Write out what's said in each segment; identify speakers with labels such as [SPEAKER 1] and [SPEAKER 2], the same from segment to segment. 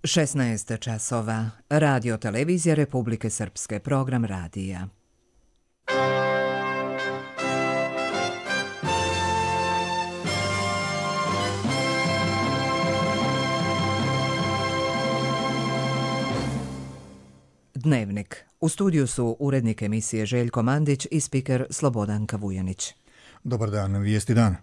[SPEAKER 1] 16 časova. Radio televizija Republike Srpske. Program radija. Dnevnik. U studiju su urednik emisije Željko Mandić i spiker Slobodanka Vujanić.
[SPEAKER 2] Dobar dan, vijesti dan.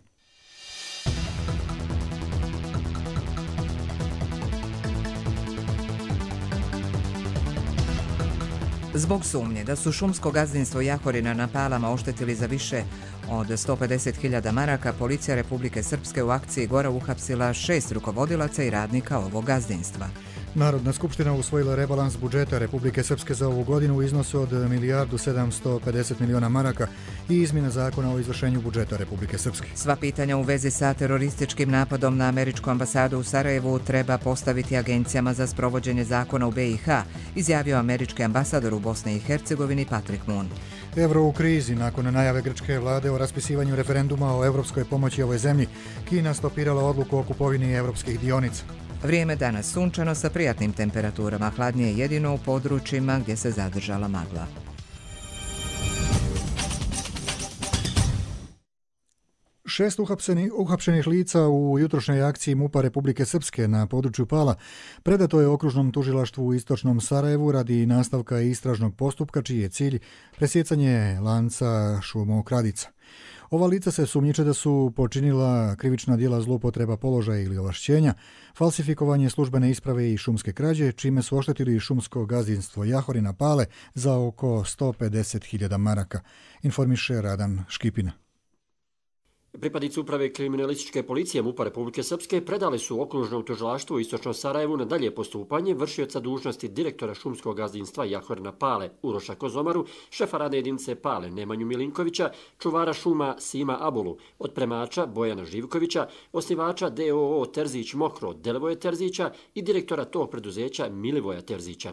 [SPEAKER 1] Zbog sumnje da su šumsko gazdinstvo Jahorina na Palama oštetili za više od 150.000 maraka, policija Republike Srpske u akciji Gora uhapsila 6 rukovodilaca i radnika ovog gazdinstva.
[SPEAKER 2] Narodna skupština usvojila rebalans budžeta Republike Srpske za ovu godinu u iznosu od 1.750.000.000 maraka i izmjena zakona o izvršenju budžeta Republike Srpske.
[SPEAKER 1] Sva pitanja u vezi sa terorističkim napadom na američku ambasadu u Sarajevu treba postaviti agencijama za sprovođenje zakona u BiH, izjavio američki ambasador u Bosni i Hercegovini Patrick Moon.
[SPEAKER 2] Evro u krizi. Nakon najave grčke vlade o raspisivanju referenduma o evropskoj pomoći ovoj zemlji, Kina stopirala odluku o kupovini evropskih dionica.
[SPEAKER 1] Vrijeme danas sunčano sa prijatnim temperaturama, hladnije jedino u područjima gdje se zadržala magla.
[SPEAKER 2] Šest uhapšenih lica u jutrošnjoj akciji MUP-a Republike Srpske na području Pala predato je okružnom tužilaštvu u istočnom Sarajevu radi nastavka istražnog postupka čiji je cilj presjecanje lanca šumokradica. Ova lica se sumnjiče da su počinila krivična djela zloupotreba položaja ili ovlašćenja, falsifikovanje službene isprave i šumske krađe, čime su oštetili šumsko gazdinstvo Jahorina Pale za oko 150.000 maraka, informiše Radan Škipina.
[SPEAKER 3] Pripadnici uprave kriminalističke policije MUP-a Republike Srpske predali su okružnom tužilaštvu u istočnom Sarajevu na dalje postupanje vršioca dužnosti direktora šumskog gazdinstva Jahorina Pale Uroša Kozomaru, šefa radne jedinice Pale Nemanju Milinkovića, čuvara šuma Sima Abulu, otpremača Bojana Živkovića, osnivača DOO Terzić Mokro Delevoje Terzića i direktora tog preduzeća Milivoja Terzića.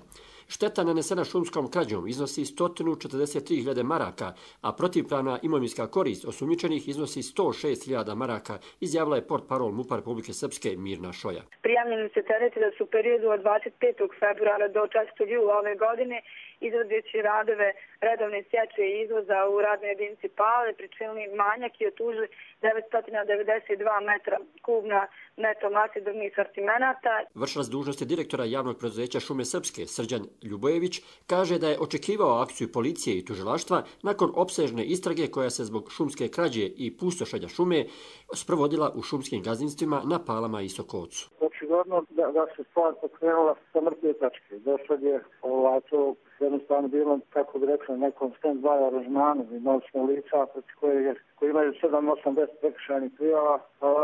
[SPEAKER 3] Šteta nanesena šumskom krađom iznosi 143.000 maraka, a protivpravna imovinska korist osumnjičenih iznosi 106.000 maraka, izjavila je portparol MUP-a Republike Srpske Mirna Šoja.
[SPEAKER 4] Prijavljeni se tereti da su u periodu od 25. februara do 4. jula ove godine izvodeći radove redovne sječe i izvoza u radnoj jedinici Pale pričinili manjak i otužili 992 metra kubna neto mase drvnih sortimenata.
[SPEAKER 3] Vršilac dužnosti direktora javnog preduzeća Šume Srpske Srđan Ljubojević kaže da je očekivao akciju policije i tužilaštva nakon opsežne istrage koja se zbog šumske krađe i pustošenja šume sprovodila u šumskim gazdinstvima na Palama i Sokovcu.
[SPEAKER 5] Očigledno da se stvar pokrenula sa mrtve tačke. Došlo je to jednostavno bilo, kako bi rekli, nekom stand-by aranžmanu. Imali smo lica koji imaju 7-8-10 prekršajnih prijava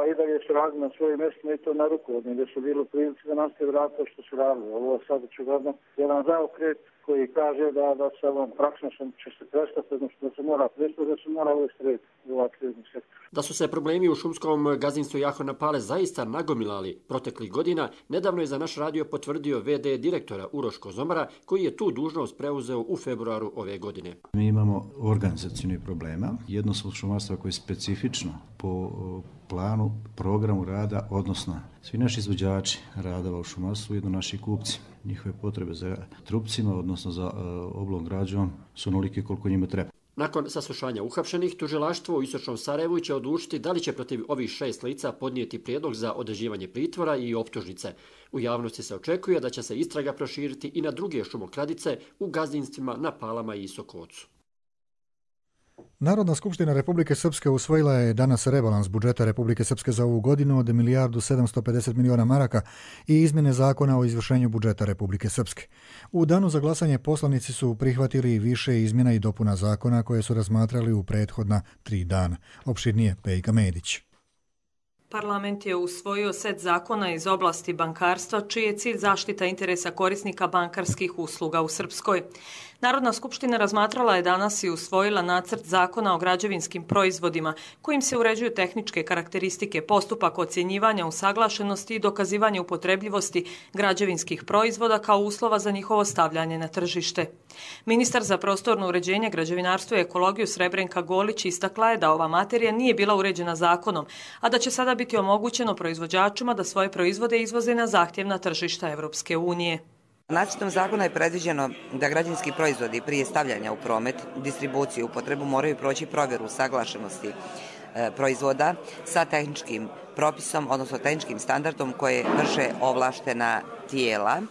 [SPEAKER 5] i da je su radili na svojim mjestima i to na rukovodni, gdje su bili u prilici da nastavi raditi to što su radili. Ovo je sad očigledno jedan zaokret koji kaže da se ovom praksom će se prestati, da se mora prestati, da se mora uvesti u ovaj krizni sektor.
[SPEAKER 3] Da su se problemi u šumskom gazdinstvu Jahorina Pale zaista nagomilali proteklih godina, nedavno je za naš radio potvrdio VD direktora Uroš Kozomara, koji je tu dužnost preuzeo u februaru ove godine.
[SPEAKER 6] Mi imamo organizacijnih problema. Jedno su šumarstva koje je specifično po planu, programu rada, odnosno svi naši izvođači radova u šumarstvu, jedno naši kupci. Njihove potrebe za trupcima, odnosno za oblom građom, su onolike koliko njima treba.
[SPEAKER 3] Nakon saslušanja uhapšenih, tužilaštvo u istočnom Sarajevu će odlučiti da li će protiv ovih 6 lica podnijeti prijedlog za određivanje pritvora i optužnice. U javnosti se očekuje da će se istraga proširiti i na druge šumokradice u gazdinstvima na Palama i Sokovcu.
[SPEAKER 2] Narodna skupština Republike Srpske usvojila je danas rebalans budžeta Republike Srpske za ovu godinu od 1.750.000.000 maraka i izmjene zakona o izvršenju budžeta Republike Srpske. U danu za glasanje poslanici su prihvatili više izmjena i dopuna zakona koje su razmatrali u prethodna 3 dana. Opširnije Pejka Medić.
[SPEAKER 7] Parlament je usvojio set zakona iz oblasti bankarstva, čiji je cilj zaštita interesa korisnika bankarskih usluga u Srpskoj. Narodna skupština razmatrala je danas i usvojila nacrt zakona o građevinskim proizvodima, kojim se uređuju tehničke karakteristike, postupak ocjenjivanja usaglašenosti i dokazivanje upotrebljivosti građevinskih proizvoda kao uslova za njihovo stavljanje na tržište. Ministar za prostorno uređenje, građevinarstvo i ekologiju Srebrenka Golić istakla je da ova materija nije bila uređena zakonom, a da će sada biti biti omogućeno proizvođačima da svoje proizvode izvoze na zahtjevna tržišta Europske unije.
[SPEAKER 8] Nacrtom zakona je predviđeno da građevinski proizvodi prije stavljanja u promet, distribuciju i upotrebu moraju proći provjeru usaglašenosti proizvoda sa tehničkim propisom, odnosno tehničkim standardom koje vrše ovlaštena tijela,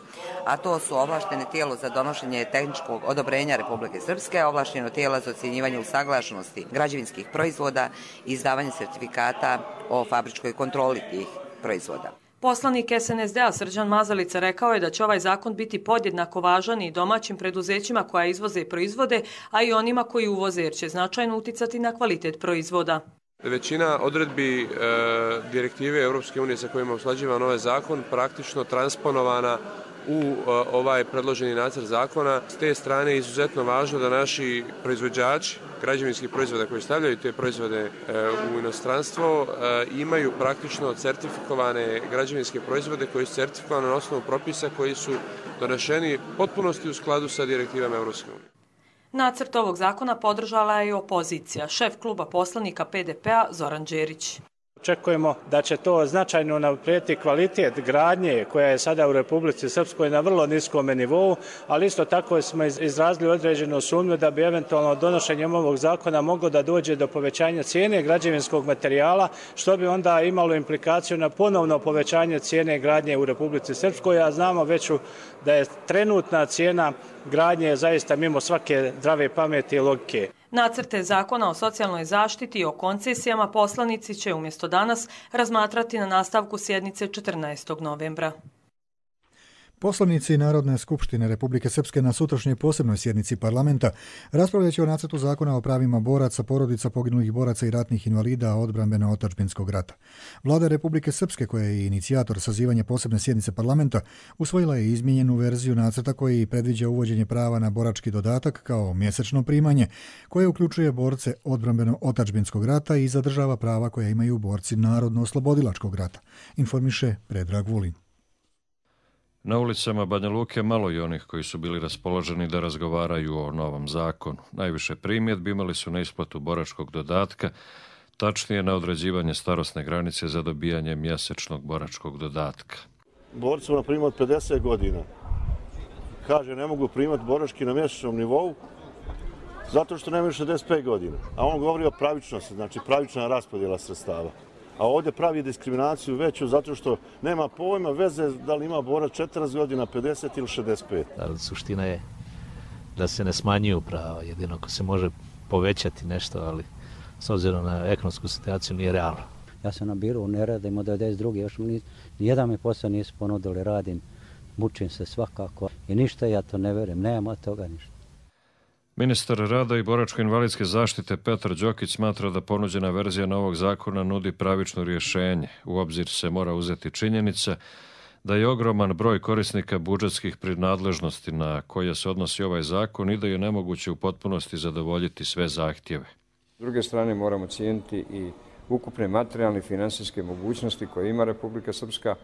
[SPEAKER 8] a to su ovlaštene tijelo za donošenje tehničkog odobrenja Republike Srpske, ovlašteno tijelo za ocjenjivanje usaglašenosti građevinskih proizvoda i izdavanje sertifikata o fabričkoj kontroli tih proizvoda.
[SPEAKER 7] Poslanik SNSD-a Srđan Mazalica rekao je da će ovaj zakon biti podjednako važan i domaćim preduzećima koja izvoze proizvode, a i onima koji uvoze, jer će značajno uticati na kvalitet proizvoda.
[SPEAKER 9] Većina odredbi direktive Europske unije sa kojima usklađivan ovaj zakon praktično transponovana u ovaj predloženi nacrt zakona. S te strane je izuzetno važno da naši proizvođači građevinskih proizvoda koji stavljaju te proizvode u inostranstvo imaju praktično certifikovane građevinske proizvode koji su certifikovane na osnovu propisa koji su doneseni potpunosti u skladu sa direktivama Europske unije.
[SPEAKER 7] Nacrt ovog zakona podržala je i opozicija. Šef kluba poslanika PDP-a Zoran Đerić.
[SPEAKER 10] Očekujemo da će to značajno unaprijediti kvalitet gradnje koja je sada u Republici Srpskoj na vrlo niskom nivou, ali isto tako smo izrazili određenu sumnju da bi eventualno donošenjem ovog zakona moglo da dođe do povećanja cijene građevinskog materijala, što bi onda imalo implikaciju na ponovno povećanje cijene gradnje u Republici Srpskoj, a znamo već da je trenutna cijena gradnje zaista mimo svake zdrave pameti i logike.
[SPEAKER 7] Nacrte zakona o socijalnoj zaštiti i o koncesijama poslanici će umjesto danas razmatrati na nastavku sjednice 14. novembra.
[SPEAKER 2] Poslanici Narodne skupštine Republike Srpske na sutrašnjoj posebnoj sjednici parlamenta raspravljat će o nacrtu zakona o pravima boraca, porodica poginulih boraca i ratnih invalida odbrambeno-otadžbinskog rata. Vlada Republike Srpske, koja je inicijator sazivanja posebne sjednice parlamenta, usvojila je izmijenjenu verziju nacrta koji predviđa uvođenje prava na borački dodatak kao mjesečno primanje, koje uključuje borce odbrambeno-otadžbinskog rata i zadržava prava koja imaju borci Narodno-oslobodilačkog rata, informiše Predrag Vulin.
[SPEAKER 11] Na ulicama Banja Luke malo je onih koji su bili raspoloženi da razgovaraju o novom zakonu. Najviše primjedbi imali su na isplatu boračkog dodatka, tačnije na određivanje starosne granice za dobijanje mjesečnog boračkog dodatka.
[SPEAKER 12] Borci na primjer od 50 godina kaže ne mogu primati borački na mjesečnom nivou zato što nemaju 65 godina. A on govori o pravičnosti, znači pravična raspodjela sredstava. A ovdje pravi diskriminaciju veću zato što nema pojma veze da li ima borac 40 godina, 50 ili 65.
[SPEAKER 13] Suština je da se ne smanjuju prava, jedino ako se može povećati nešto, ali s obzirom na ekonomsku situaciju nije realno.
[SPEAKER 14] Ja sam na biru, ne radim od 92. Još nijedan mi posao nisu ponudili, radim, mučim se svakako i ništa ja to ne verujem, nema od toga ništa.
[SPEAKER 11] Ministar rada i boračko-invalidske zaštite Petar Đokić smatra da ponuđena verzija novog zakona nudi pravično rješenje. U obzir se mora uzeti činjenica da je ogroman broj korisnika budžetskih prinadležnosti na koje se odnosi ovaj zakon i da je nemoguće u potpunosti zadovoljiti sve zahtjeve.
[SPEAKER 15] S druge strane moramo cijeniti i ukupne materijalne i finansijske mogućnosti koje ima Republika Srpska.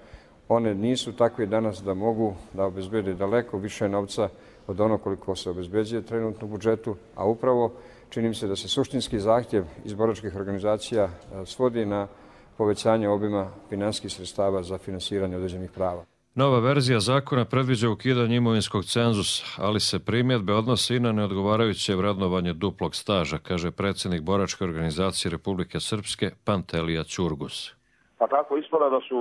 [SPEAKER 15] One nisu takve danas da mogu da obezbede daleko više novca od ono koliko se obezbeđuje trenutno u budžetu, a upravo čini mi se da se suštinski zahtjev iz boračkih organizacija svodi na povećanje obima finansijskih sredstava za finansiranje određenih prava.
[SPEAKER 11] Nova verzija zakona predviđa ukidanje imovinskog cenzusa, ali se primjedbe odnose i na neodgovarajuće vrednovanje duplog staža, kaže predsjednik boračke organizacije Republike Srpske Pantelija Ćurgus.
[SPEAKER 16] Pa tako ispada da su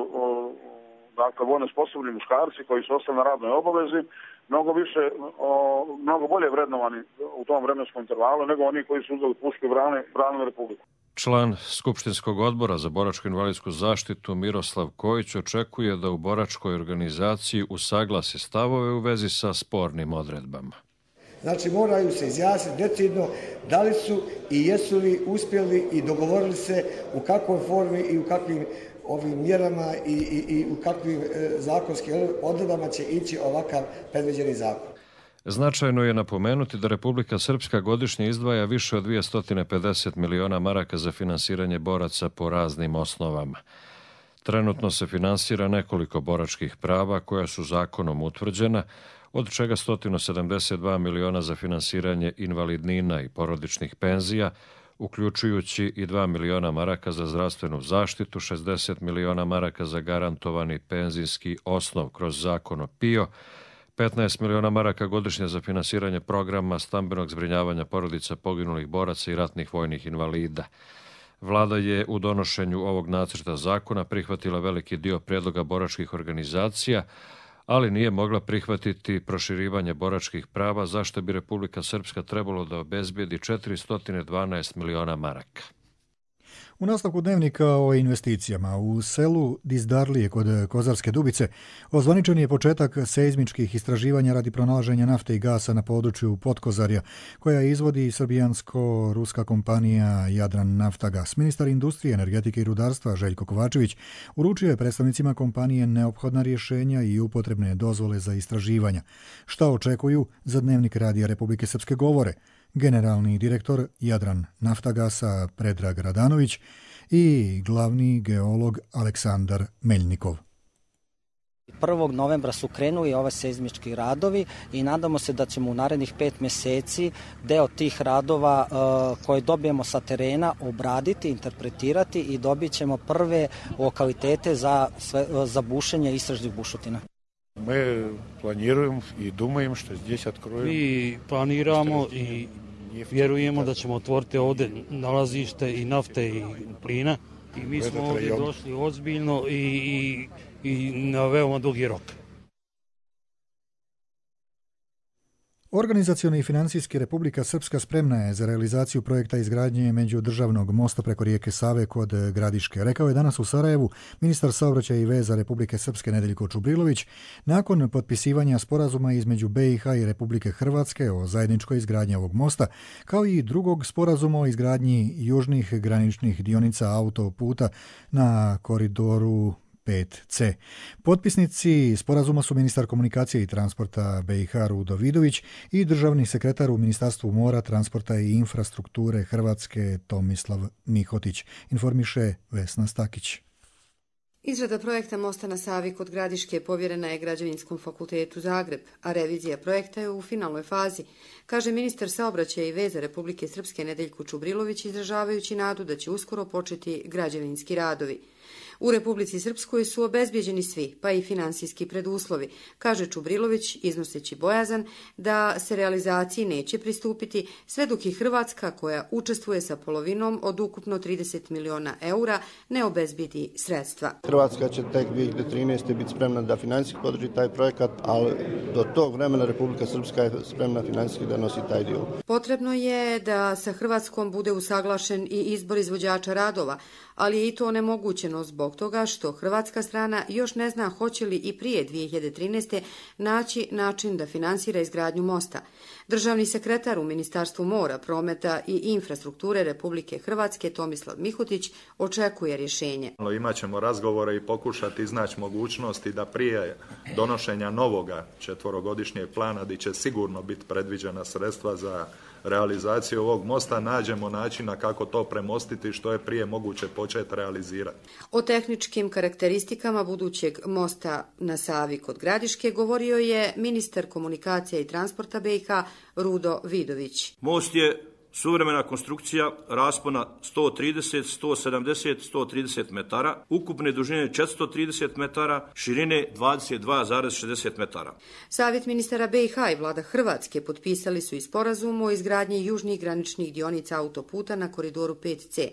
[SPEAKER 16] vojno sposobni muškarci koji su ostali na radnoj obavezi mnogo bolje vrednovani u tom vremenskom intervalu nego oni koji su uzeli pušku i branili Republiku.
[SPEAKER 11] Član Skupštinskog odbora za boračko-invalidsku zaštitu Miroslav Kojić očekuje da u boračkoj organizaciji usaglasi stavove u vezi sa spornim odredbama.
[SPEAKER 17] Znači moraju se izjasniti decidno da li su i jesu li uspjeli i dogovorili se u kakvoj formi i u kakvim ovim mjerama i u kakvim zakonskim odredbama će ići ovakav predviđeni zakon.
[SPEAKER 11] Značajno je napomenuti da Republika Srpska godišnje izdvaja više od 250 miliona maraka za finansiranje boraca po raznim osnovama. Trenutno se finansira nekoliko boračkih prava koja su zakonom utvrđena, od čega 172 miliona za finansiranje invalidnina i porodičnih penzija, uključujući i 2 miliona maraka za zdravstvenu zaštitu, 60 miliona maraka za garantovani penzijski osnov kroz zakon o PIO, 15 miliona maraka godišnje za finansiranje programa stambenog zbrinjavanja porodica poginulih boraca i ratnih vojnih invalida. Vlada je u donošenju ovog nacrta zakona prihvatila veliki dio prijedloga boračkih organizacija, ali nije mogla prihvatiti proširivanje boračkih prava, zašto bi Republika Srpska trebalo da obezbijedi 412 miliona maraka.
[SPEAKER 2] U nastavku dnevnika o investicijama u selu Dizdarlije kod Kozarske Dubice ozvaničen je početak seizmičkih istraživanja radi pronalaženja nafte i gasa na području Potkozarja, koja izvodi srbijansko-ruska kompanija Jadran Naftagas. Ministar industrije, energetike i rudarstva Željko Kovačević uručio je predstavnicima kompanije neophodna rješenja i upotrebne dozvole za istraživanja. Šta očekuju, za dnevnik Radija Republike Srpske govore generalni direktor Jadran Naftagasa Predrag Radanović i glavni geolog Aleksandar Meljnikov.
[SPEAKER 18] 1. novembra su krenuli ove seizmički radovi i nadamo se da ćemo u narednih 5 mjeseci deo tih radova koje dobijemo sa terena obraditi, interpretirati i dobit ćemo prve lokalitete za bušenje istražnih bušotina.
[SPEAKER 19] Мы планируем и думаем, что здесь откроем.
[SPEAKER 20] Mi planiramo i vjerujemo da ćemo otvoriti ovdje nalazište i nafte i plina. I mi smo ovdje došli ozbiljno i na veoma dugi rok.
[SPEAKER 2] Organizacioni i financijski Republika Srpska spremna je za realizaciju projekta izgradnje međudržavnog mosta preko rijeke Save kod Gradiške. Rekao je danas u Sarajevu ministar saobraćaja i veza Republike Srpske Nedeljko Čubrilović nakon potpisivanja sporazuma između BiH i Republike Hrvatske o zajedničkoj izgradnji ovog mosta, kao i drugog sporazuma o izgradnji južnih graničnih dionica autoputa na koridoru 5C. Potpisnici sporazuma su ministar komunikacije i transporta BiH Rudo Vidović i državni sekretar u Ministarstvu mora, transporta i infrastrukture Hrvatske Tomislav Mihotić, informiše Vesna Stakić.
[SPEAKER 21] Izrada projekta mosta na Savi kod Gradiške povjerena je Građevinskom fakultetu Zagreb, a revizija projekta je u finalnoj fazi, kaže ministar saobraćaja i veza Republike Srpske Nedeljko Čubrilović, izražavajući nadu da će uskoro početi građevinski radovi. U Republici Srpskoj su obezbijeđeni svi, pa i finansijski preduslovi, kaže Čubrilović, iznoseći bojazan da se realizaciji neće pristupiti sve dok i Hrvatska, koja učestvuje sa polovinom od ukupno 30 miliona eura, ne obezbijedi sredstva.
[SPEAKER 12] Hrvatska će tek 2013. biti spremna da finansijski podrži taj projekat, ali do tog vremena Republika Srpska je spremna finansijski da nosi taj dio.
[SPEAKER 21] Potrebno je da sa Hrvatskom bude usaglašen i izbor izvođača radova, ali je i to onemogućeno zbog toga što hrvatska strana još ne zna hoće li i prije 2013. naći način da finansira izgradnju mosta. Državni sekretar u Ministarstvu mora, prometa i infrastrukture Republike Hrvatske Tomislav Mihotić očekuje rješenje.
[SPEAKER 22] Imaćemo razgovore i pokušati iznaći mogućnosti da prije donošenja novoga 4-godišnjeg plana, gdje će sigurno biti predviđena sredstva za realizaciju ovog mosta, nađemo načina kako to premostiti što je prije moguće početi realizirati.
[SPEAKER 21] O tehničkim karakteristikama budućeg mosta na Savi kod Gradiške govorio je ministar komunikacije i transporta BiH Rudo Vidović.
[SPEAKER 23] Most je suvremena konstrukcija raspona 130, 170, 130 metara, ukupne dužine 430 metara, širine 22,60 metara. Savjet
[SPEAKER 21] ministara BiH i vlada Hrvatske potpisali su i sporazum o izgradnji južnih graničnih dionica autoputa na koridoru 5C,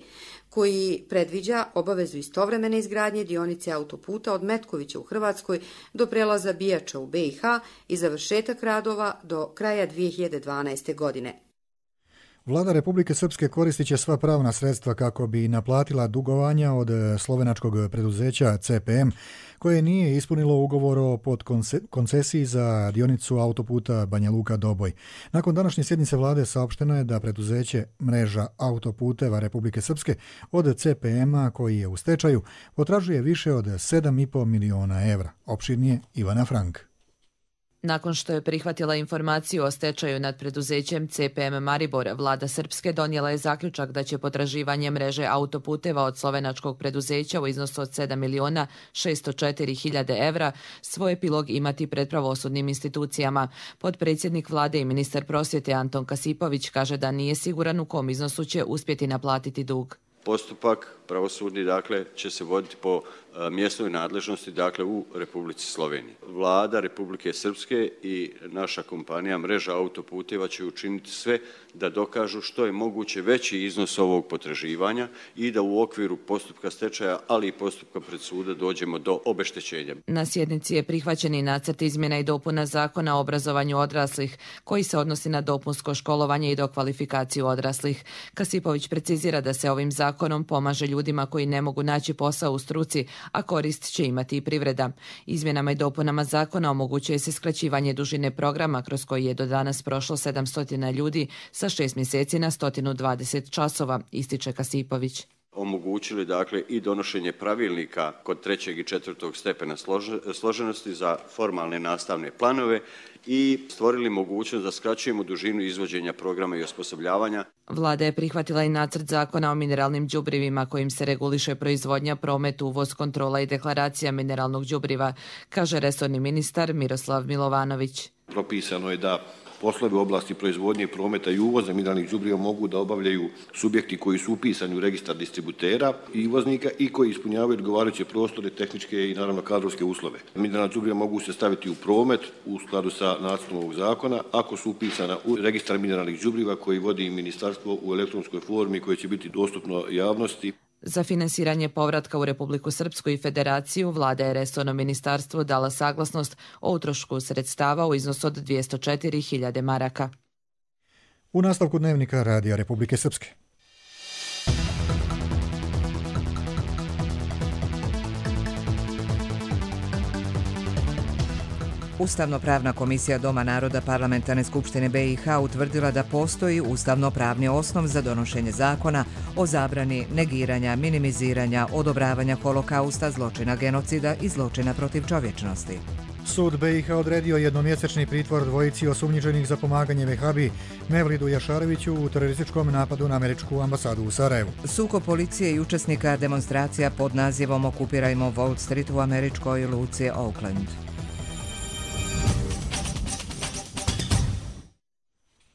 [SPEAKER 21] koji predviđa obavezu istovremene izgradnje dionice autoputa od Metkovića u Hrvatskoj do prelaza Bijača u BiH i završetak radova do kraja 2012. godine.
[SPEAKER 2] Vlada Republike Srpske koristit će sva pravna sredstva kako bi naplatila dugovanja od slovenačkog preduzeća CPM, koje nije ispunilo ugovor o podkoncesiji za dionicu autoputa Banja Luka-Doboj. Nakon današnje sjednice vlade saopšteno je da preduzeće Mreža autoputeva Republike Srpske od CPM-a, koji je u stečaju, potražuje više od 7,5 miliona evra. Opširnije Ivana Frank.
[SPEAKER 1] Nakon što je prihvatila informaciju o stečaju nad preduzećem CPM Maribor, vlada Srpske donijela je zaključak da će potraživanje mreže autoputeva od slovenačkog preduzeća u iznosu od 7.604.000 evra svoj epilog imati pred pravosudnim institucijama. Potpredsjednik vlade i ministar prosvjete Anton Kasipović kaže da nije siguran u kom iznosu će uspjeti naplatiti dug.
[SPEAKER 4] Postupak pravosudni, dakle, će se voditi po mjesnoj nadležnosti, dakle, u Republici Sloveniji. Vlada Republike Srpske i naša kompanija Mreža autoputeva će učiniti sve da dokažu što je moguće veći iznos ovog potraživanja i da u okviru postupka stečaja, ali i postupka pred suda dođemo do obeštećenja.
[SPEAKER 1] Na sjednici je prihvaćen i nacrt izmjena i dopuna Zakona o obrazovanju odraslih, koji se odnosi na dopunsko školovanje i dokvalifikaciju odraslih. Kasipović precizira da se ovim zakonom pomaže ljudima koji ne mogu naći posao u struci, a korist će imati i privreda. Izmjenama i dopunama zakona omogućuje se skraćivanje dužine programa kroz koji je do danas prošlo 700 ljudi sa 6 mjeseci na 120 časova, ističe Kasipović.
[SPEAKER 4] Omogućili, dakle, i donošenje pravilnika kod 3. i 4. stepena složenosti za formalne nastavne planove i stvorili mogućnost da skraćujemo dužinu izvođenja programa i osposobljavanja.
[SPEAKER 1] Vlada je prihvatila i nacrt zakona o mineralnim đubrivima kojim se reguliše proizvodnja, promet, uvoz, kontrola i deklaracija mineralnog đubriva, kaže resorni ministar Miroslav Milovanović.
[SPEAKER 5] Propisano je da poslove u oblasti proizvodnje, prometa i uvoza mineralnih đubriva mogu da obavljaju subjekti koji su upisani u registar distributera i uvoznika i koji ispunjavaju odgovarajuće prostore, tehničke i naravno kadrovske uslove. Mineralna đubriva mogu se staviti u promet u skladu sa nacrtom ovog zakona ako su upisana u registar mineralnih đubriva koji vodi ministarstvo u elektronskoj formi koje će biti dostupno javnosti.
[SPEAKER 1] Za finansiranje povratka u Republiku Srpsku i Federaciju vlada je resorno ministarstvo dala saglasnost o utrošku sredstava u iznosu od 204.000 maraka.
[SPEAKER 2] U nastavku dnevnika Radija Republike Srpske.
[SPEAKER 24] Ustavno-pravna komisija Doma naroda Parlamentarne skupštine BiH utvrdila da postoji ustavno-pravni osnov za donošenje zakona o zabrani negiranja, minimiziranja, odobravanja holokausta, zločina genocida i zločina protiv čovječnosti.
[SPEAKER 2] Sud BiH odredio jednomjesečni pritvor dvojici osumnjičenih za pomaganje Vehabi Mevlidu Jašareviću u terorističkom napadu na američku ambasadu u Sarajevu.
[SPEAKER 24] Sukob policije i učesnika demonstracija pod nazivom Okupirajmo Wall Street u američkoj luci Oakland.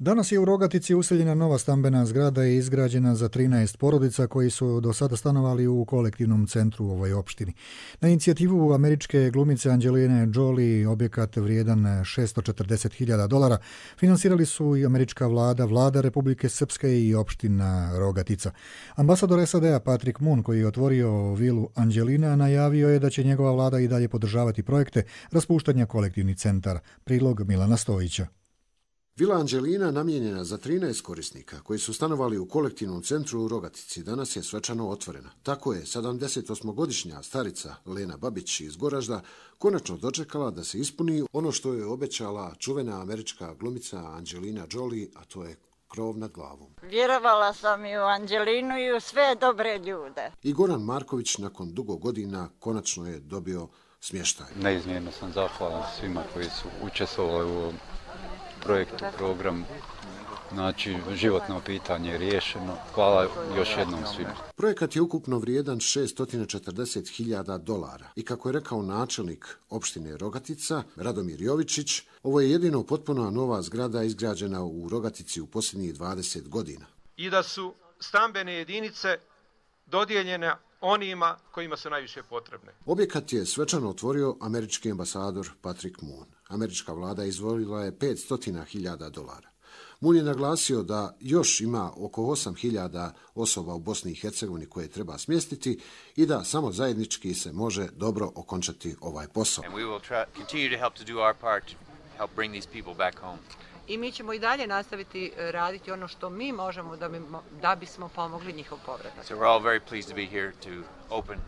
[SPEAKER 2] Danas je u Rogatici useljena nova stambena zgrada i izgrađena za 13 porodica koji su do sada stanovali u kolektivnom centru u ovoj opštini. Na inicijativu američke glumice Angeline Jolie objekat vrijedan $640.000 finansirali su i američka vlada, vlada Republike Srpske i opština Rogatica. Ambasador SAD-a Patrick Moon, koji je otvorio vilu Angelina, najavio je da će njegova vlada i dalje podržavati projekte raspuštanja kolektivnih centara. Prilog Milana Stojića.
[SPEAKER 25] Vila Angelina, namijenjena za 13 korisnika koji su stanovali u kolektivnom centru u Rogatici, danas je svečano otvorena. Tako je 78-godišnja starica Lena Babić iz Goražda konačno dočekala da se ispuni ono što je obećala čuvena američka glumica Angelina Jolie, a to je krov nad glavom.
[SPEAKER 26] Vjerovala sam i u Angelinu i u sve dobre ljude.
[SPEAKER 25] I Goran Marković nakon dugo godina konačno je dobio smještaj.
[SPEAKER 27] Neizmjerno sam zahvalan svima koji su učestvovali u projektu, program, znači životno pitanje je riješeno. Hvala još jednom svima.
[SPEAKER 25] Projekat je ukupno vrijedan $640.000 i kako je rekao načelnik opštine Rogatica, Radomir Jovičić, ovo je jedino potpuno nova zgrada izgrađena u Rogatici u posljednjih 20 godina.
[SPEAKER 28] I da su stambene jedinice dodijeljene onima kojima su najviše potrebne.
[SPEAKER 25] Objekat je svečano otvorio američki ambasador Patrick Moon. Američka vlada izdvojila je $500.000. Moon je naglasio da još ima oko 8.000 osoba u Bosni i Hercegovini koje treba smjestiti i da samo zajednički se može dobro okončati ovaj posao.
[SPEAKER 29] I mi ćemo i dalje nastaviti raditi ono što mi možemo da bismo pomogli njihov povratak.
[SPEAKER 30] So we're all very pleased to be here to open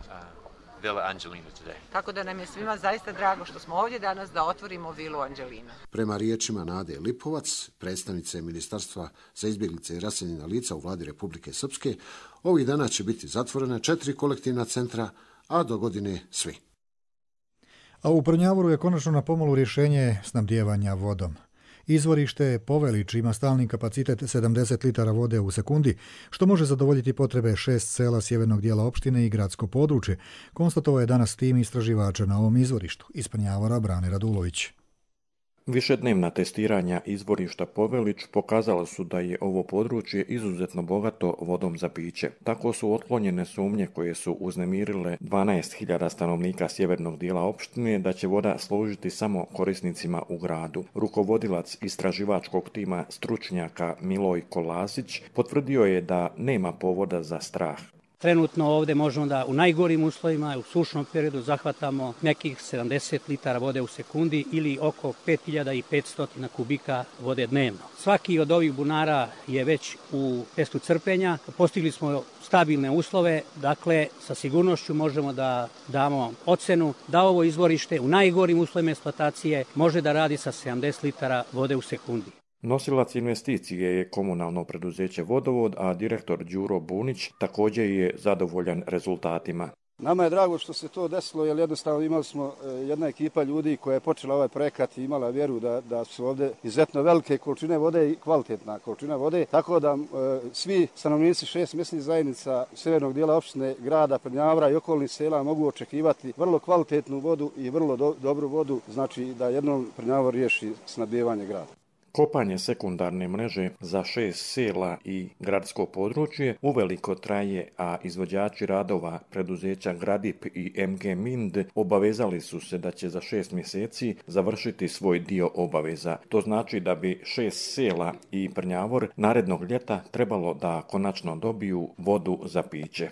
[SPEAKER 30] Villa Angelina today.
[SPEAKER 29] Tako da nam je svima zaista drago što smo ovdje danas da otvorimo vilu Angelina.
[SPEAKER 25] Prema riječima Nade Lipovac, predstavnice Ministarstva za izbjeglice i raseljena lica u vladi Republike Srpske, ovih dana će biti zatvorene 4 kolektivna centra, a do godine svi.
[SPEAKER 2] A u Prnjavoru je konačno na pomolu rješenje snabdijevanja vodom. Izvorište Povelić ima stalni kapacitet 70 litara vode u sekundi, što može zadovoljiti potrebe 6 sela sjevernog dijela opštine i gradsko područje, konstatovao je danas tim istraživača na ovom izvorištu. Iz Prnjavora Brane Radulović.
[SPEAKER 3] Višednevna testiranja izvorišta Povelić pokazala su da je ovo područje izuzetno bogato vodom za piće. Tako su otklonjene sumnje koje su uznemirile 12.000 stanovnika sjevernog dijela opštine da će voda služiti samo korisnicima u gradu. Rukovodilac istraživačkog tima stručnjaka Milojko Lazić potvrdio je da nema povoda za strah.
[SPEAKER 6] Trenutno ovdje možemo da u najgorim uslovima, u sušnom periodu, zahvatamo nekih 70 litara vode u sekundi ili oko 5500 kubika vode dnevno. Svaki od ovih bunara je već u testu crpenja. Postigli smo stabilne uslove, dakle sa sigurnošću možemo da damo ocenu da ovo izvorište u najgorim uslovima eksploatacije može da radi sa 70 litara vode u sekundi.
[SPEAKER 3] Nosilac investicije je komunalno preduzeće Vodovod, a direktor Đuro Bunić također je zadovoljan rezultatima.
[SPEAKER 7] Nama je drago što se to desilo, jer jednostavno imali smo jedna ekipa ljudi koja je počela ovaj projekat i imala vjeru da su ovdje izuzetno velike količine vode i kvalitetna količina vode, tako da svi stanovnici 6 mjesnih zajednica sjevernog dijela opštine grada Prnjavora i okolnih sela mogu očekivati vrlo kvalitetnu vodu i vrlo dobru vodu, znači da jednom Prnjavor riješi snabdijevanje grada.
[SPEAKER 3] Kopanje sekundarne mreže za 6 sela i gradsko područje uveliko traje, a izvođači radova preduzeća Gradip i MG Mind obavezali su se da će za 6 mjeseci završiti svoj dio obaveza. To znači da bi 6 sela i Prnjavor narednog ljeta trebalo da konačno dobiju vodu za piće.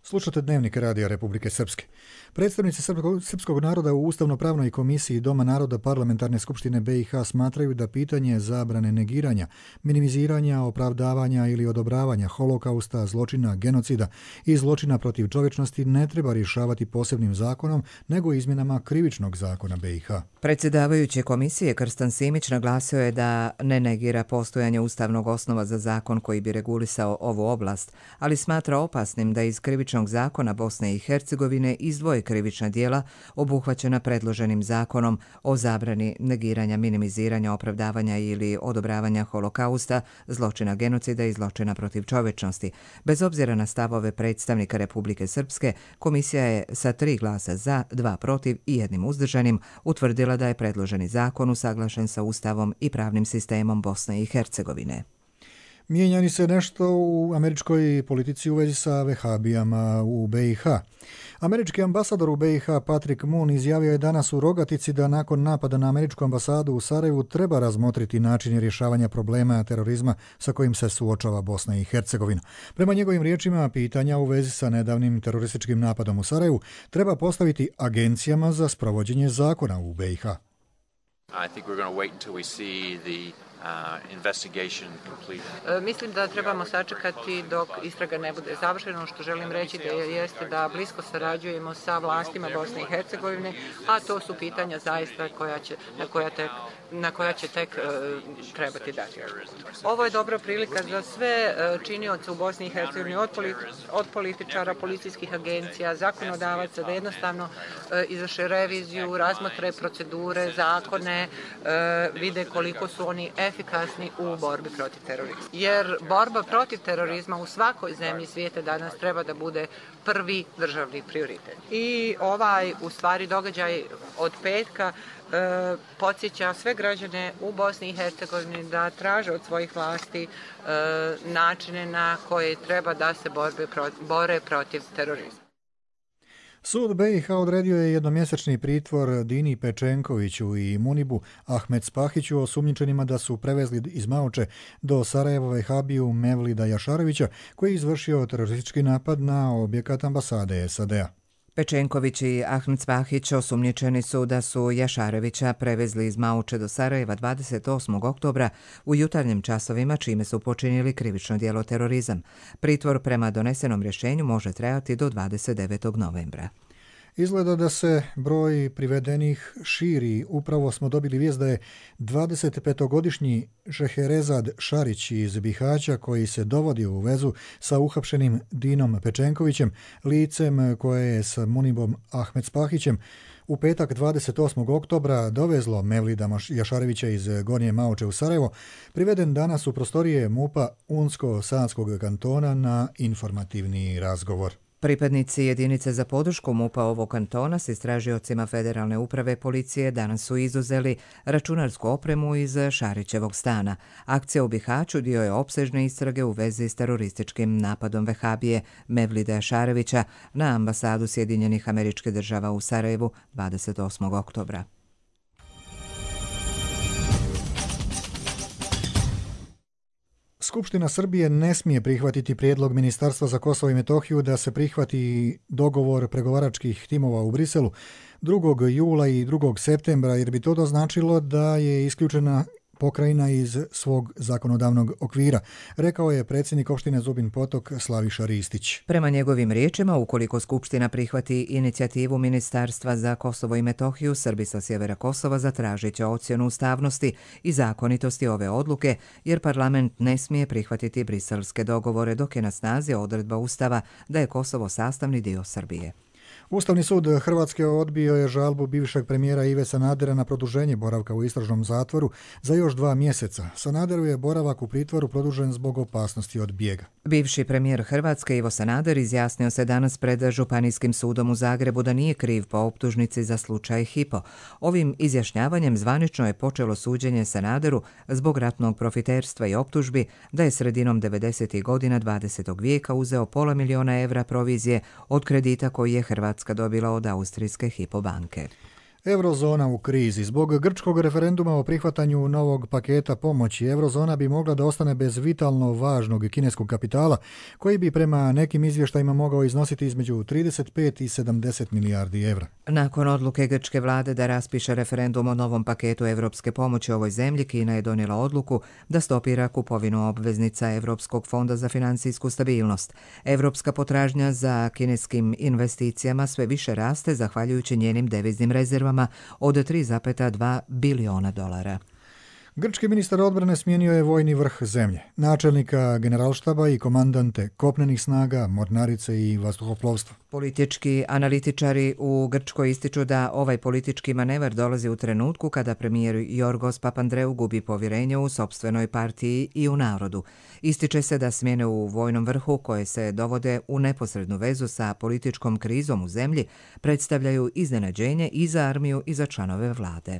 [SPEAKER 2] Slušate Dnevnik Radija Republike Srpske. Predstavnici srpskog naroda u Ustavno-pravnoj komisiji Doma naroda Parlamentarne skupštine BiH smatraju da pitanje zabrane negiranja, minimiziranja, opravdavanja ili odobravanja holokausta, zločina, genocida i zločina protiv čovječnosti ne treba rješavati posebnim zakonom, nego izmjenama krivičnog zakona BiH.
[SPEAKER 24] Predsjedavajući komisije Krstan Simić naglasio je da ne negira postojanje ustavnog osnova za zakon koji bi regulisao ovu oblast, ali smatra opasnim da iz krivičnog zakona Bosne i Hercegovine izdvoje krivična djela obuhvaćena predloženim zakonom o zabrani negiranja, minimiziranja, opravdavanja ili odobravanja holokausta, zločina genocida i zločina protiv čovječnosti. Bez obzira na stavove predstavnika Republike Srpske, komisija je sa 3 glasa za, 2 protiv i 1 uzdržanim utvrdila da je predloženi zakon usaglašen sa Ustavom i pravnim sistemom Bosne i Hercegovine.
[SPEAKER 2] Mijenjani se nešto u američkoj politici u vezi sa vehabijama u BiH. Američki ambasador u BiH Patrick Moon izjavio je danas u Rogatici da nakon napada na američku ambasadu u Sarajevu treba razmotriti načine rješavanja problema terorizma sa kojim se suočava Bosna i Hercegovina. Prema njegovim riječima, pitanja u vezi sa nedavnim terorističkim napadom u Sarajevu treba postaviti agencijama za sprovođenje zakona u BiH.
[SPEAKER 30] I think we're going to wait until we see the investigation complete.
[SPEAKER 29] Mislim da trebamo sačekati dok istraga ne bude završena. Što želim reći da jeste da blisko sarađujemo sa vlastima Bosne i Hercegovine, a to su pitanja zaista na koja će tek trebati dati. Ovo je dobra prilika za sve činioce u Bosni i Hercegovini, od političara, policijskih agencija, zakonodavaca, da jednostavno izvrše reviziju, razmotre procedure, zakone, vide koliko su oni efikasni u borbi protiv terorizma. Jer borba protiv terorizma u svakoj zemlji svijeta danas treba da bude prvi državni prioritet. I ovaj, u stvari, događaj od petka podsjeća sve građane u Bosni i Hercegovini da traže od svojih vlasti načine na koje treba da se bore protiv terorizma.
[SPEAKER 2] Sud BiH odredio je jednomjesečni pritvor Dini Pečenkoviću i Munibu Ahmed Spahiću, osumnjičenima da su prevezli iz Maoče do Sarajeva vehabiju Mevlida Jašarevića, koji je izvršio teroristički napad na objekat ambasade SAD-a.
[SPEAKER 24] Pečenković i Ahmed Spahić osumnjičeni su da su Jašarevića prevezli iz Maoče do Sarajeva 28. oktobra u jutarnjim časovima, čime su počinili krivično djelo terorizam. Pritvor prema donesenom rješenju može trajati do 29. novembra.
[SPEAKER 2] Izgleda da se broj privedenih širi. Upravo smo dobili vijest da je 25-godišnji Šeherezad Šarić iz Bihaća, koji se dovodi u vezu sa uhapšenim Dinom Pečenkovićem, licem koje je s Munibom Ahmedspahićem, u petak 28. oktobra dovezlo Mevlida Jašarevića iz Gornje Maoče u Sarajevo, priveden danas u prostorije MUP-a Unsko-Sanskog kantona na informativni razgovor.
[SPEAKER 24] Pripadnici jedinice za podršku MUP-a ovog kantona s istražiocima Federalne uprave policije danas su izuzeli računarsku opremu iz Šarićevog stana. Akcija u Bihaću dio je opsežne istrage u vezi s terorističkim napadom vehabije Mevlida Jašarevića na ambasadu Sjedinjenih Američkih Država u Sarajevu 28. oktobra.
[SPEAKER 2] Skupština Srbije ne smije prihvatiti prijedlog Ministarstva za Kosovo i Metohiju da se prihvati dogovor pregovaračkih timova u Briselu 2. jula i 2. septembra, jer bi to značilo da je isključena pokrajina iz svog zakonodavnog okvira, rekao je predsjednik opštine Zubin Potok Slaviša Ristić.
[SPEAKER 24] Prema njegovim riječima, ukoliko Skupština prihvati inicijativu Ministarstva za Kosovo i Metohiju, Srbi sa sjevera Kosova zatražit će ocjenu ustavnosti i zakonitosti ove odluke, jer parlament ne smije prihvatiti briselske dogovore dok je na snazi odredba Ustava da je Kosovo sastavni dio Srbije.
[SPEAKER 2] Ustavni sud Hrvatske odbio je žalbu bivšeg premijera Ive Sanadera na produženje boravka u istražnom zatvoru za još 2 mjeseca. Sanaderu je boravak u pritvoru produžen zbog opasnosti od bijega.
[SPEAKER 24] Bivši premijer Hrvatske Ivo Sanader izjasnio se danas pred Županijskim sudom u Zagrebu da nije kriv po optužnici za slučaj Hypo. Ovim izjašnjavanjem zvanično je počelo suđenje Sanaderu zbog ratnog profiterstva i optužbi da je sredinom 90. godina 20. vijeka uzeo $500 000 provizije od kredita koji je Hrvatska dobila od austrijske Hypo banke.
[SPEAKER 2] Eurozona u krizi. Zbog grčkog referenduma o prihvatanju novog paketa pomoći, eurozona bi mogla da ostane bez vitalno važnog kineskog kapitala, koji bi prema nekim izvještajima mogao iznositi između 35 i 70 milijardi evra.
[SPEAKER 24] Nakon odluke grčke vlade da raspiše referendum o novom paketu evropske pomoći ovoj zemlji, Kina je donijela odluku da stopira kupovinu obveznica Evropskog fonda za financijsku stabilnost. Evropska potražnja za kineskim investicijama sve više raste zahvaljujući njenim deviznim rezervama od $3,2 biliona.
[SPEAKER 2] Grčki ministar odbrane smijenio je vojni vrh zemlje, načelnika generalštaba i komandante kopnenih snaga, mornarice i vazduhoplovstva.
[SPEAKER 24] Politički analitičari u Grčkoj ističu da ovaj politički manevar dolazi u trenutku kada premijer Jorgos Papandreou gubi povjerenje u sopstvenoj partiji i u narodu. Ističe se da smjene u vojnom vrhu, koje se dovode u neposrednu vezu sa političkom krizom u zemlji, predstavljaju iznenađenje i za armiju i za članove vlade.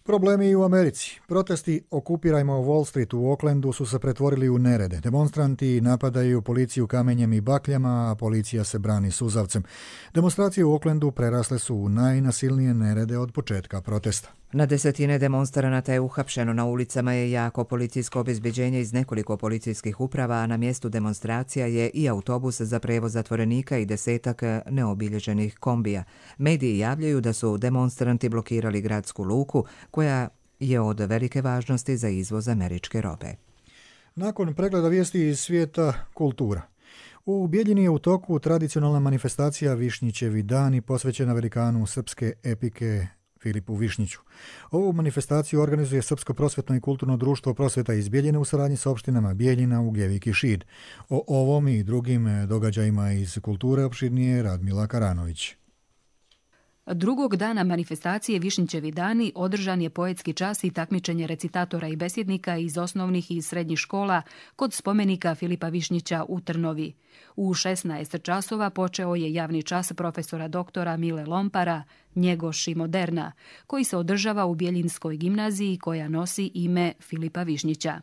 [SPEAKER 2] Problemi i u Americi. Protesti Okupirajmo Wall Street u Oaklandu su se pretvorili u nerede. Demonstranti napadaju policiju kamenjem i bakljama, a policija se brani suzavcem. Demonstracije u Oaklandu prerasle su u najnasilnije nerede od početka protesta.
[SPEAKER 24] Na desetine demonstranata je uhapšeno, na ulicama je jako policijsko obezbeđenje iz nekoliko policijskih uprava, a na mjestu demonstracija je i autobus za prevoz zatvorenika i 10 neobilježenih kombija. Mediji javljaju da su demonstranti blokirali gradsku luku, koja je od velike važnosti za izvoz američke robe.
[SPEAKER 2] Nakon pregleda vijesti iz svijeta kultura. U Bijeljini je u toku tradicionalna manifestacija Višnjićevi dani posvećena velikanu srpske epike Filipu Višnjiću. Ovu manifestaciju organizuje Srpsko prosvjetno i kulturno društvo Prosvjeta iz Bijeljine u saradnji sa opštinama Bijeljina, Ugljevik i Šid. O ovom i drugim događajima iz kulture opširnije Radmila Karanović.
[SPEAKER 8] Drugog dana manifestacije Višnjićevi dani održan je poetski čas i takmičenje recitatora i besjednika iz osnovnih i srednjih škola kod spomenika Filipa Višnjića u Trnovi. U 16 časova počeo je javni čas profesora doktora Mile Lompara, Njegoš i moderna, koji se održava u Bijeljinskoj gimnaziji koja nosi ime Filipa Višnjića.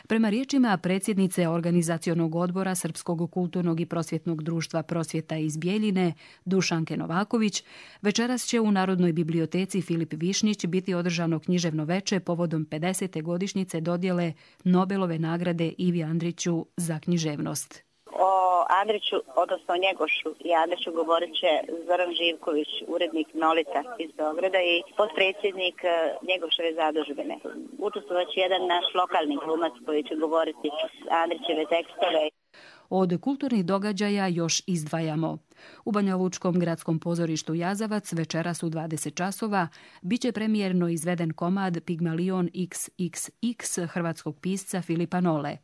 [SPEAKER 8] Prema riječima predsjednice organizacionog odbora Srpskog kulturnog i prosvjetnog društva Prosvjeta iz Bijeljine, Dušanke Novaković, večeras će u Narodnoj biblioteci Filip Višnjić biti održano književno veče povodom 50. godišnjice dodjele Nobelove nagrade Ivi Andriću za književnost.
[SPEAKER 9] O Andriću, odnosno o Njegošu i Andriću govorit će Zoran Živković, urednik Nolita iz Beograda i potpredsjednik Njegoševe zadužbine. Učestvovat će jedan naš lokalni glumac koji će govoriti Andrićeve tekstove.
[SPEAKER 8] Od kulturnih događaja još izdvajamo. U Banjalučkom gradskom pozorištu Jazavac večeras u 20 časova biće premijerno izveden komad Pigmalion XXX hrvatskog pisca Filipa Nole.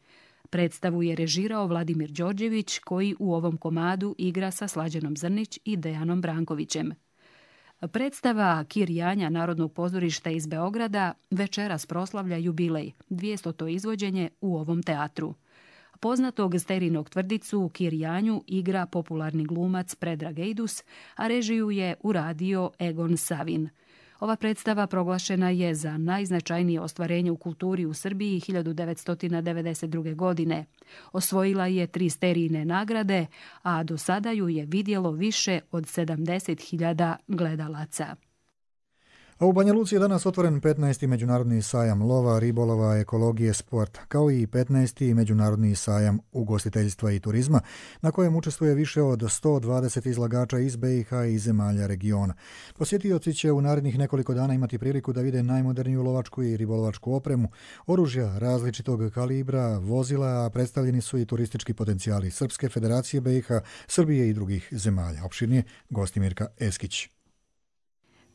[SPEAKER 8] Predstavu je režirao Vladimir Đorđević, koji u ovom komadu igra sa Slađanom Zrnić i Dejanom Brankovićem. Predstava Kir Janja Narodnog pozorišta iz Beograda večeras proslavlja jubilej, 200. izvođenje u ovom teatru. Poznatog Sterinog Tvrdicu Kir Janju igra popularni glumac Predrag Ejdus, a režiju je uradio Egon Savin. Ova predstava proglašena je za najznačajnije ostvarenje u kulturi u Srbiji 1992. godine. Osvojila je 3 Sterijine nagrade, a do sada ju je vidjelo više od 70.000 gledalaca.
[SPEAKER 2] A u Banja Luci je danas otvoren 15. međunarodni sajam lova, ribolova, ekologije, sporta, kao i 15. međunarodni sajam ugostiteljstva i turizma, na kojem učestvuje više od 120 izlagača iz BiH i zemalja regiona. Posjetioci će u narednih nekoliko dana imati priliku da vide najmoderniju lovačku i ribolovačku opremu, oružja različitog kalibra, vozila, a predstavljeni su i turistički potencijali Srpske federacije BiH, Srbije i drugih zemalja. Opširnije Gostimirka Eskić.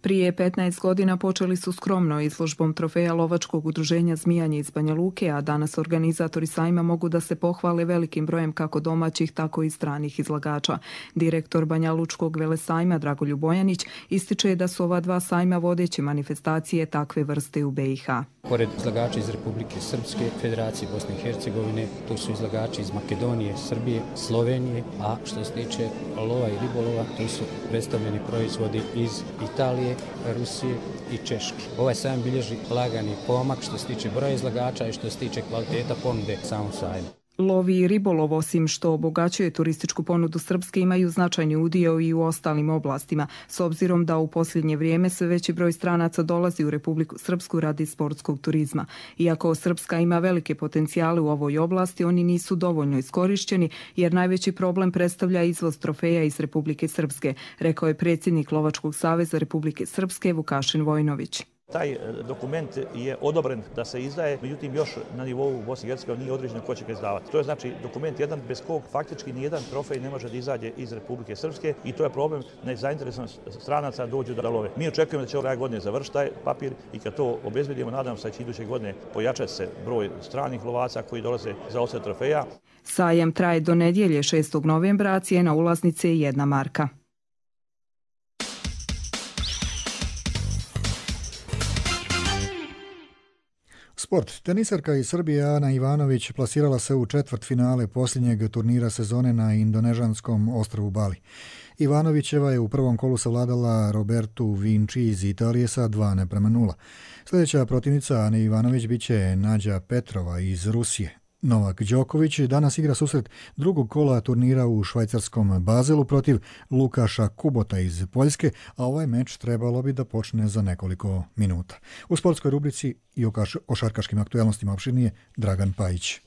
[SPEAKER 10] Prije 15 godina počeli su skromno izložbom trofeja lovačkog udruženja Zmijanje iz Banja Luke, a danas organizatori sajma mogu da se pohvale velikim brojem kako domaćih, tako i stranih izlagača. Direktor Banja Lučkog velesajma Dragoljub Bojanić ističe da su ova 2 sajma vodeće manifestacije takve vrste u BiH.
[SPEAKER 6] Pored izlagača iz Republike Srpske, Federacije Bosne i Hercegovine, tu su izlagači iz Makedonije, Srbije, Slovenije, a što se tiče lova i ribolova, tu su predstavljeni proizvodi iz Italije, Rusije i Češke. Ovaj sajam bilježi lagani pomak što se tiče broja izlagača i što se tiče kvaliteta ponude samom sajmu.
[SPEAKER 10] Lovi i ribolov, osim što obogaćuje turističku ponudu Srpske, imaju značajni udio i u ostalim oblastima, s obzirom da u posljednje vrijeme sve veći broj stranaca dolazi u Republiku Srpsku radi sportskog turizma. Iako Srpska ima velike potencijale u ovoj oblasti, oni nisu dovoljno iskorišćeni, jer najveći problem predstavlja izvoz trofeja iz Republike Srpske, rekao je predsjednik Lovačkog saveza Republike Srpske Vukašin Vojnović.
[SPEAKER 11] Taj dokument je odobren da se izdaje, međutim još na nivou Bosne i Hercegovine nije određeno ko će ga izdavati. To je znači dokument jedan bez kog faktički nijedan trofej ne može da izađe iz Republike Srpske i to je problem nezainteresovanost stranaca dođu da love. Mi očekujemo da će ove godine završiti taj papir i kad to obezbedimo, nadam se da će iduće godine pojačati se broj stranih lovaca koji dolaze za osad trofeja.
[SPEAKER 10] Sajam traje do nedjelje 6. novembra, a cijena ulaznice je 1 marka.
[SPEAKER 2] Sport. Tenisarka iz Srbije Ana Ivanović plasirala se u četvrtfinale posljednjeg turnira sezone na indonežanskom ostrvu Bali. Ivanovićeva je u prvom kolu savladala Robertu Vinci iz Italije sa 2:0. Sljedeća protivnica Ane Ivanović biće Nađa Petrova iz Rusije. Novak Đoković danas igra susret drugog kola turnira u švajcarskom Bazelu protiv Lukaša Kubota iz Poljske, a ovaj meč trebalo bi da počne za nekoliko minuta. U sportskoj rubrici i o šarkaškim aktuelnostima opširnije Dragan Pajić.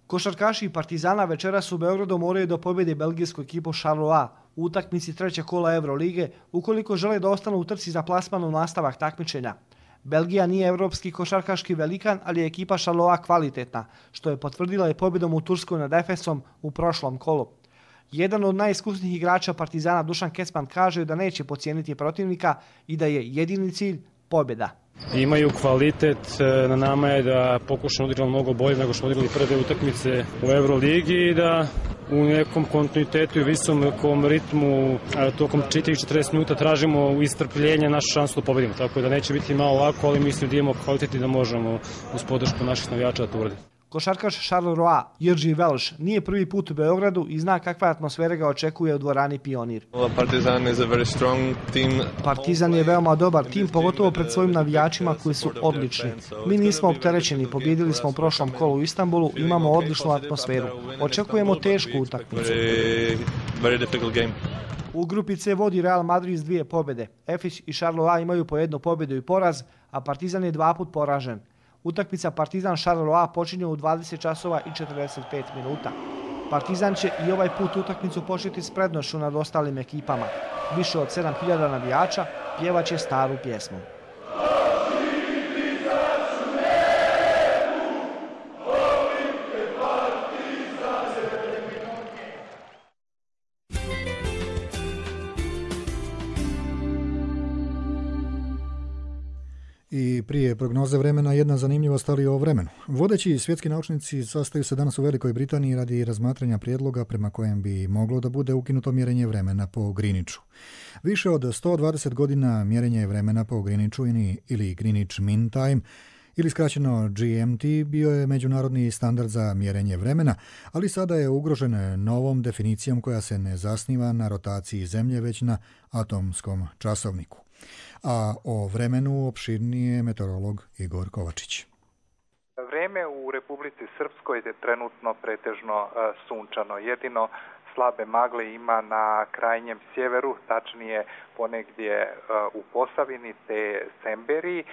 [SPEAKER 13] Košarkaši Partizana večeras u Beogradu moraju da pobjede belgijsku ekipu Charleroi u utakmici 3. kola Eurolige ukoliko žele da ostanu u trci za plasman u nastavak takmičenja. Belgija nije evropski košarkaški velikan, ali je ekipa Charleroi kvalitetna, što je potvrdila i pobjedom u Turskoj nad Efesom u prošlom kolu. Jedan od najiskusnijih igrača Partizana Dušan Kecman kaže da neće podcijeniti protivnika i da je jedini cilj pobjeda.
[SPEAKER 14] Imaju kvalitet, na nama je da pokušamo odigrati mnogo bolje nego što smo odigrali prve utakmice u Euroligi i da u nekom kontinuitetu i visokom ritmu tokom 40 minuta tražimo istrpljenje našu šansu da pobedimo. Tako da neće biti malo lako, ali mislim da imamo kvalitet i da možemo uz podršku naših navijača da to uradimo.
[SPEAKER 13] Košarkaš Charleroi Jirži Velš nije prvi put u Beogradu i zna kakva atmosfera ga očekuje u dvorani Pionir. Partizan je veoma dobar tim, pogotovo pred svojim navijačima koji su odlični. Mi nismo opterećeni, pobjedili smo u prošlom kolu u Istanbulu, imamo odličnu atmosferu. Očekujemo tešku utakmicu. U grupi C vodi Real Madrid s 2 pobjede. Efes i Charleroi imaju po 1 pobjedu i poraz, a Partizan je 2 put poražen. Utakmica Partizan-Charleroi počinje u 20 časova i 45 minuta. Partizan će i ovaj put utakmicu početi s prednošću nad ostalim ekipama. Više od 7000 navijača pjevaće staru pjesmu.
[SPEAKER 2] I prije prognoze vremena jedna zanimljivost, ali o vremenu. Vodeći svjetski naučnici sastaju se danas u Velikoj Britaniji radi razmatranja prijedloga prema kojem bi moglo da bude ukinuto mjerenje vremena po Greenwichu. Više od 120 godina mjerenje vremena po Greenwichu ili Greenwich Mean Time ili skraćeno GMT bio je međunarodni standard za mjerenje vremena, ali sada je ugrožen novom definicijom koja se ne zasniva na rotaciji Zemlje, već na atomskom časovniku. A o vremenu opširnije meteorolog Igor Kovačić.
[SPEAKER 12] Vrijeme u Republici Srpskoj je trenutno pretežno sunčano. Jedino slabe magle ima na krajnjem sjeveru, tačnije ponegdje u Posavini te Semberiji,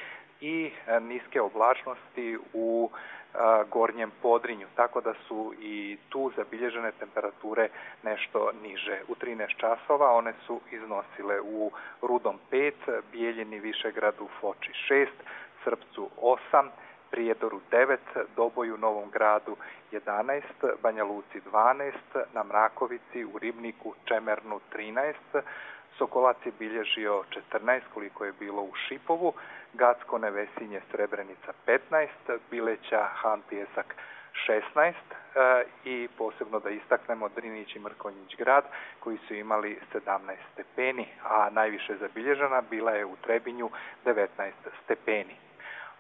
[SPEAKER 12] i niske oblačnosti u gornjem Podrinju, tako da su i tu zabilježene temperature nešto niže. U 13 časova one su iznosile u Rudom 5, Bijeljini, Višegradu, Foči 6, Srpcu 8, Prijedoru 9, Doboju, Novom Gradu 11, Banja Luci 12, na Mrakovici, u Ribniku, Čemernu 13, Sokolac je bilježio 14, koliko je bilo u Šipovu, Gacko, Nevesinje, Srebrenica 15, Bileća, Han, Pijesak 16 i posebno da istaknemo Drinić i Mrkonjić grad koji su imali 17 stepeni, a najviše zabilježena bila je u Trebinju 19 stepeni.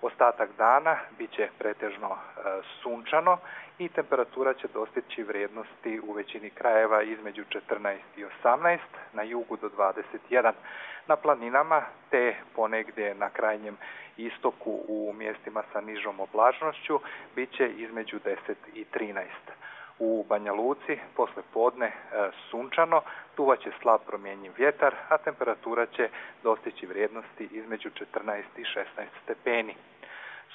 [SPEAKER 12] Ostatak dana bit će pretežno sunčano i temperatura će dostići vrijednosti u većini krajeva između 14 i 18, na jugu do 21. Na planinama te ponegdje na krajnjem istoku u mjestima sa nižom oblačnošću bit će između 10 i 13. U Banja Luci posle podne sunčano, duvaće slab promjenjiv vjetar, a temperatura će dostići vrijednosti između 14 i 16 stepeni.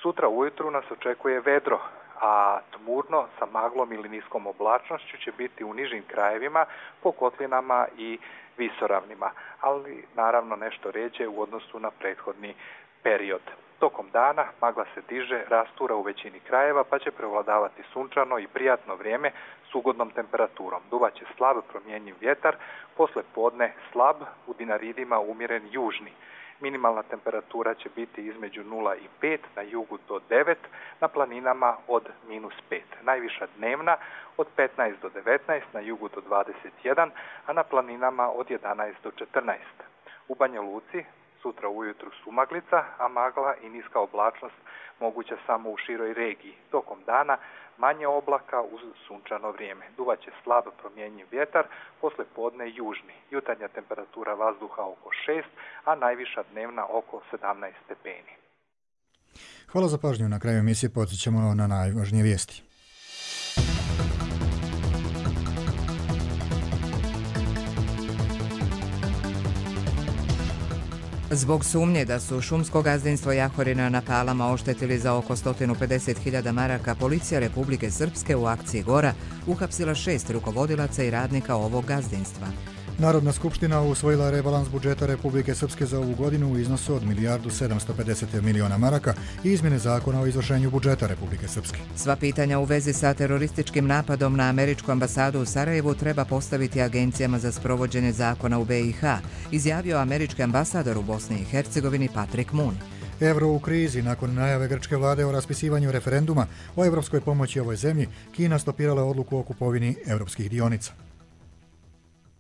[SPEAKER 12] Sutra ujutru nas očekuje vedro, a tmurno sa maglom ili niskom oblačnošću će biti u nižim krajevima, po kotlinama i visoravnima, ali naravno nešto rjeđe u odnosu na prethodni period. Tokom dana magla se diže, rastura u većini krajeva, pa će prevladavati sunčano i prijatno vrijeme s ugodnom temperaturom. Duvaće slab promjenjiv vjetar, posle podne slab, u Dinaridima umjeren južni. Minimalna temperatura će biti između 0 i 5, na jugu do 9, na planinama od -5. Najviša dnevna od 15 do 19, na jugu do 21, a na planinama od 11 do 14. U Banja Luci sutra ujutru sumaglica, a magla i niska oblačnost moguća samo u široj regiji. Tokom dana manje oblaka uz sunčano vrijeme. Duvaće slab promjenjiv vjetar, posle podne južni. Jutarnja temperatura vazduha oko 6, a najviša dnevna oko 17 stepeni.
[SPEAKER 2] Hvala za pažnju. Na kraju emisije podsjećamo na najvažnije vijesti.
[SPEAKER 24] Zbog sumnje da su šumsko gazdinstvo Jahorina na Palama oštetili za oko 150.000 maraka, policija Republike Srpske u akciji Gora uhapsila 6 rukovodilaca i radnika ovog gazdinstva.
[SPEAKER 2] Narodna skupština usvojila rebalans budžeta Republike Srpske za ovu godinu u iznosu od 1.750.000.000 maraka i izmjene zakona o izvršenju budžeta Republike Srpske.
[SPEAKER 24] Sva pitanja u vezi sa terorističkim napadom na američku ambasadu u Sarajevu treba postaviti agencijama za sprovođenje zakona u BiH, izjavio američki ambasador u Bosni i Hercegovini Patrick Moon.
[SPEAKER 2] Euro u krizi. Nakon najave grčke vlade o raspisivanju referenduma o evropskoj pomoći ovoj zemlji, Kina stopirala odluku o kupovini evropskih dionica.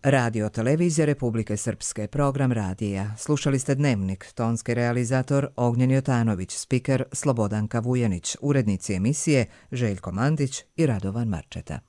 [SPEAKER 24] Radio Televizija Republike Srpske, program radija. Slušali ste Dnevnik, tonski realizator Ognjen Jotanović, spiker Slobodanka Vujanić, urednici emisije Željko Mandić i Radovan Marčeta.